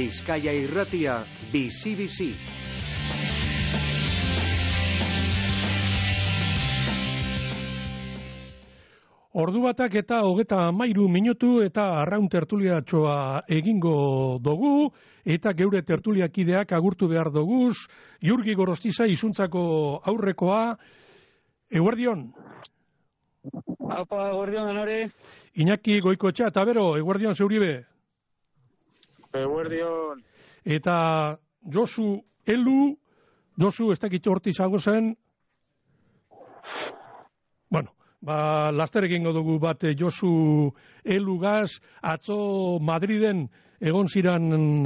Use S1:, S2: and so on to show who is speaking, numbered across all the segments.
S1: Bizkaia Irratia, bizi-bizi.
S2: Ordu batak eta 33 minutu eta arraun tertuliatxoa egingo dugu, eta geure tertuliakideak agurtu behar doguz. Jurgi Gorostiza izuntzako aurrekoa, eguerdion.
S3: Apa, eguerdion, anore.
S2: Iñaki Goikoetxea, eta bero, eguerdion zeuribe.
S3: Eguerdion.
S2: Eta Josu Elu, Josu ez dakit horti zago zen. Bueno, laster egingo dugu bat Josu Elugaz, atzo Madriden egon ziran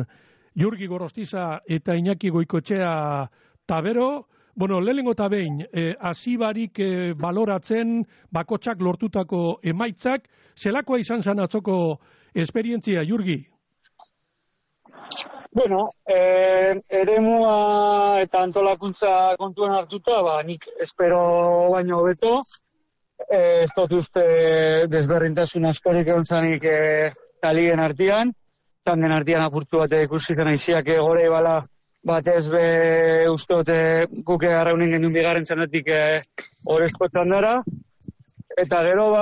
S2: Jurgi Gorostiza eta Iñaki Goikoetxea tabero. Bueno, lehenengo eta behin, hasibarik baloratzen bakotsak lortutako emaitzak, zelakoa izan zen atzoko esperientzia, Jurgi?
S3: Bueno, eremua eta antolakuntza kontuan hartuta, nik espero baino hobeto. Ez dut uste desberdintasun askorik egon zanik talien artean. Tanden artean apurtu bat ikusi zen aiziak gore bala batez be uste dut guke arraunen gendun bigarren txanatik horrezko txandara. Eta gero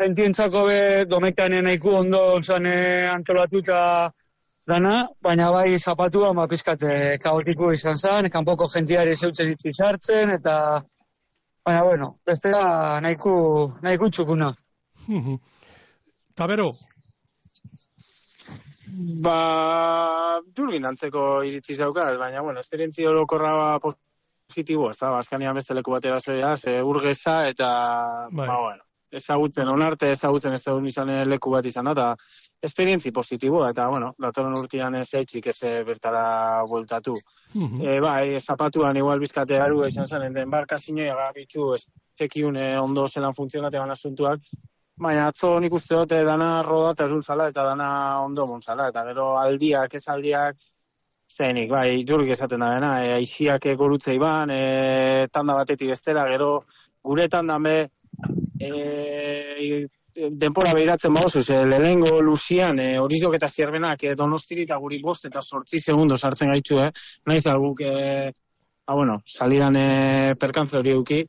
S3: jentientzako be domekanen nahiko ondo zan antolatuta dana, baina bai zapatua pizkat kaotiko izan zen, kanpoko jentiari zeutzen itzi sartzen, eta baina, bueno, bestera nahiko txukuna.
S2: Tabero?
S4: Durbin antzeko iritzi zaukat, baina, bueno, esperientzia orokorra positibo, ez da, Baskanian beste leku batera zoia, urgeza, eta, bueno, ezagutzen, onarte ezagutzen ez da izan leku bat izan da, eta esperientzi positiboa, eta, bueno, datorren urtean ez eitzik ez bertara bueltatu. Zapatuan igual bizkate aru izan zen, den barkazinoia gabitxu, ez tekiun ondo zelan funtzionate ban asuntuak, baina atzo nik uste dute dana roda eta zala eta dana ondo montzala, eta gero aldiak, ez aldiak, zenik, Jurgi esaten da dena, aiziak gorutzei ban, tanda batetik bestera, gero gure tandan be, denpora behiratzen bauzuz, lehenengo Luzian, Horizok eta Zierbenak Donostiri eta guri 5 eta 8 segundo sartzen gaitu, naiz da guk, salidan perkantze hori euki,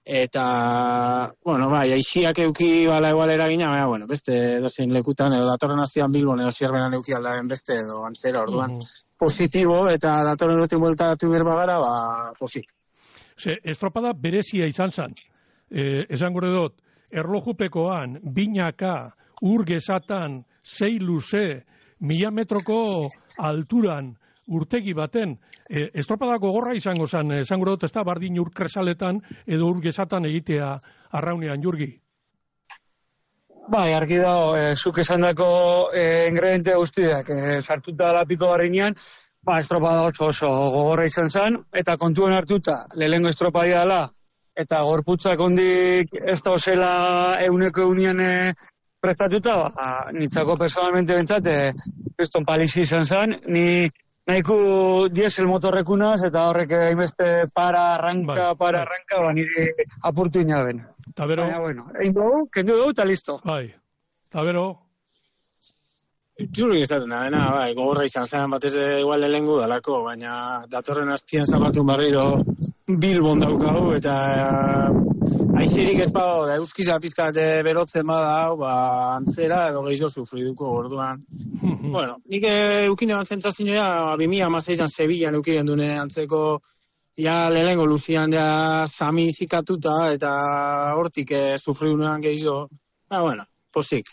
S4: eta, aixiak euki bala egual eragina, beste dozein lekutan, edo datorren aztian Bilbon edo Zierbenan euki aldagen beste, edo antzera orduan, positibo, eta datorren dutin bueltatu berbagara, posik.
S2: Estropada berezia izan zen, esan gure dut, erlojupekoan, binaka, urgezatan, 6 luze, 1000 metroko alturan, urtegi baten, estropadako gorra izango zen, esango dut ez da bardin urkresaletan edo urgezatan egitea arraunean, Jurgi?
S3: Argi dago, zuk esan dako ingrediente guztiak, sartuta lapiko barrinean, estropada oso gogorra izan zen, eta kontuen hartuta, lehenengo estropadia dela, eta gorputzak ondik ez da osela euneko prestatuta, nitzako personalmente bentsat, kriston palizi izan zen, ni nahiko diesel motorrekunaz, eta horrek hainbeste arranka, nire apurtu inaben.
S2: Tabero?
S3: Baina, bueno, egin dugu, kendu dugu, eta listo.
S2: Tabero?
S4: Jurgi izaten da, gogorra izan zen, batez igual lehengu dalako, baina datorren hastian zapatun barriro Bilbon daukagu, eta aixirik ez badago, da euskiza pizkat berotzen bada, antzera edo gehiago sufriduko orduan. Bueno, nik eukine bat zentzazinoa, 2016an Sevillan eukiren dune antzeko, lehengo Luzian sami zikatuta, eta hortik sufridunean gehiago, posik.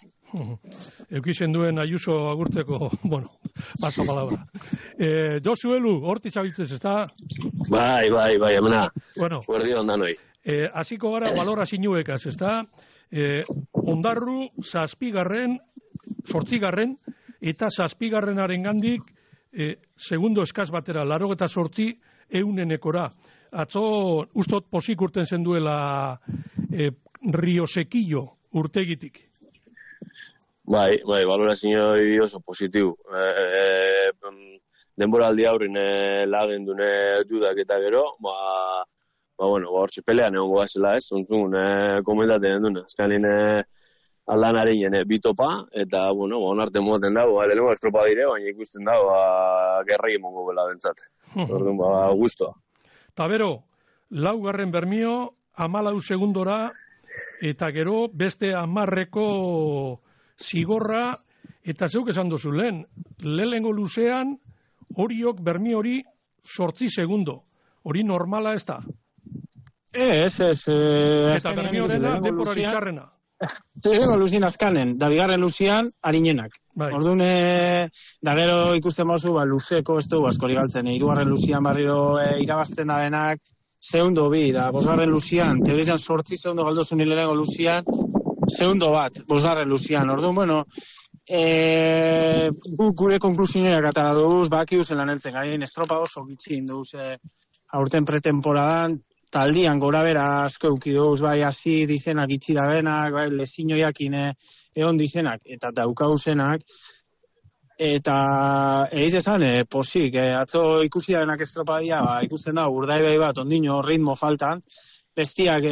S2: Eukisen duen Ayuso agurtzeko, paso palabra. Josu Elu, horti zabiltzez, ez da?
S5: Bai, emena, guardi ondanoi.
S2: Hasiko gara balora zinuekaz, ez da? Ondarru, 7. 8. eta 7. gandik, segundo eskaz batera, 88 eunenekora. Atzo, ustot posik urten zenduela Riosequillo urtegitik.
S5: Bai, valorazio oso positibo. Denboraldi aurrin lagen dune dudak eta gero, hortxe pelean egon goazela ez, ontzun komentaten duna. Azkanin aldan areien, bitopa, eta, bueno, onarte moten dago, lehenengo estropa dire, baina ikusten dago, gerrai emongo bela bentsat. Orduan, guztua.
S2: Ta bero, 4. bermio, 14 segundora, eta gero beste 10 zigorra, eta zeuk esan dozu lehen, lehenengo luzean, horiok bermi hori 8 segundo. Hori normala ez da?
S4: Ez.
S2: Eta bermi horrena, denporari txarrena.
S4: Lehenengo luzien azkanen, da bigarren luzian, harinenak. Orduan, da gero ikusten mozu, luzeko ez dugu askori galtzen. 3. luzian barriro irabazten da denak, segundo bi, da 5. luzian, teorizan 8 segundo galdozun lehenengo luzian, segundo bat, 5. luzian. Orduan, bueno, gure konklusioak atara duz, baki uzen lan eltzen gaien, estropa oso gitzin duz, aurten pretemporadan, taldian gora bera asko eukiduz, bai hasi dizenak itxi da benak, bai lezinoiakin egon dizenak, eta daukauzenak, eta eiz esan, posik, atzo ikusi da benak estropadia, ikusten da, urdai bai bat, ondino ritmo faltan, bestiak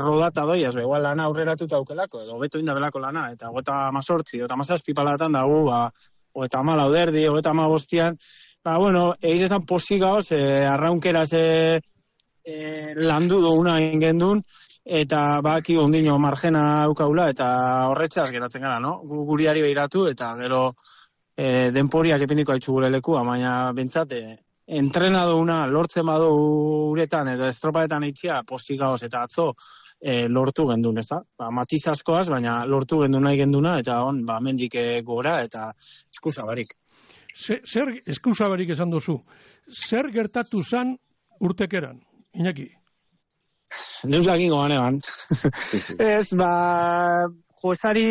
S4: rodata doiaz, igual lana aurreratuta aukelako, edo beto indabelako lana, eta 18, 17 palatan dago, 34 derdi, 35, bueno, eiz esan posik gauz, arraunkeraz landu duguna ingendun, eta baki ondino margena aukaula, eta horretxaz geratzen gara, no? Guriari behiratu, eta gero denporiak epindiko haitzu gure lekua, baina bentsate, entrenaduna lortzen badu uretan, eta estropaetan itxia postik gauz, eta atzo lortu gendun, ez da? Matiz askoaz, baina lortu gendun nahi genduna, eta mendik gora, eta eskusabarik.
S2: Zer eskusabarik esan duzu? Zer gertatu zan urtekeran? Iñaki?
S3: Neusakin gogan eban. Ez, joesari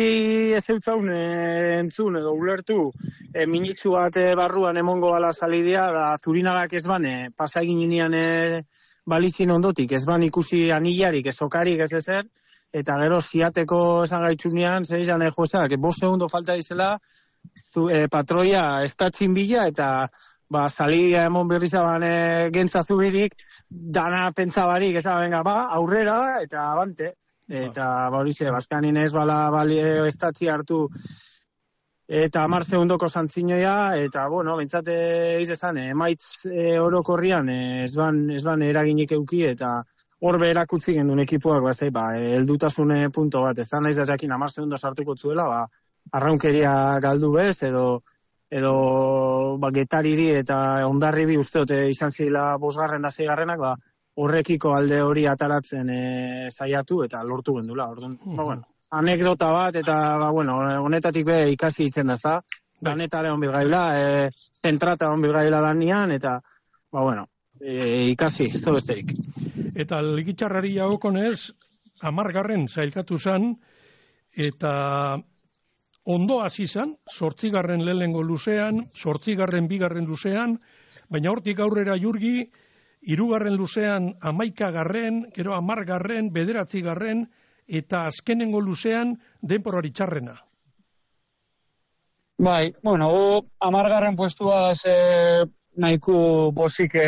S3: ez eutzaun entzun edo ulertu minitzu bat barruan emongo gala salidea, da Zurinagak ez ban pasa egin inian balizin ondotik, ez ban ikusi anillarik, ez okarik, ez ezer, eta gero ziateko esan gaitzunean, zer izan joesak, 5 segundo falta izela, patroia estatzin bila, eta salidea emon berrizaban gentza zubirik, dana pentsabarik, ez da, venga, aurrera, eta abante. Eta, horize, Baskanin ez estatzi hartu, eta 10 segundoko zantzinoia, eta, bueno, bentsate izan, emaitz orokorrian, ez ban eraginik euki, eta horbe erakutzi gendun ekipuak, heldutasune punto bat, ez da nahiz da jakin 10 segundo sartuko zuela, arraunkeria galdu bez, edo getariri eta ondarribi usteote izan zila 5. da 6. Horrekiko alde hori ataratzen saiatu eta lortu gendula. Orduan, bueno, anekdota bat eta honetatik be ikasi itzen da, ezta? Danetare on bilgaila, zentrata on bilgaila danian eta bueno, ikasi ez da besterik.
S2: Eta ligitxarrari jagokonez 10. sailkatu zan eta ondo hasi zan, 8. lehenengo luzean, 8. 2. luzean, baina hortik aurrera Jurgi, 3. luzean 11. gero 10. 9. eta azkenengo luzean denporari txarrena.
S3: Bai, bueno, 10. puestua nahiko posik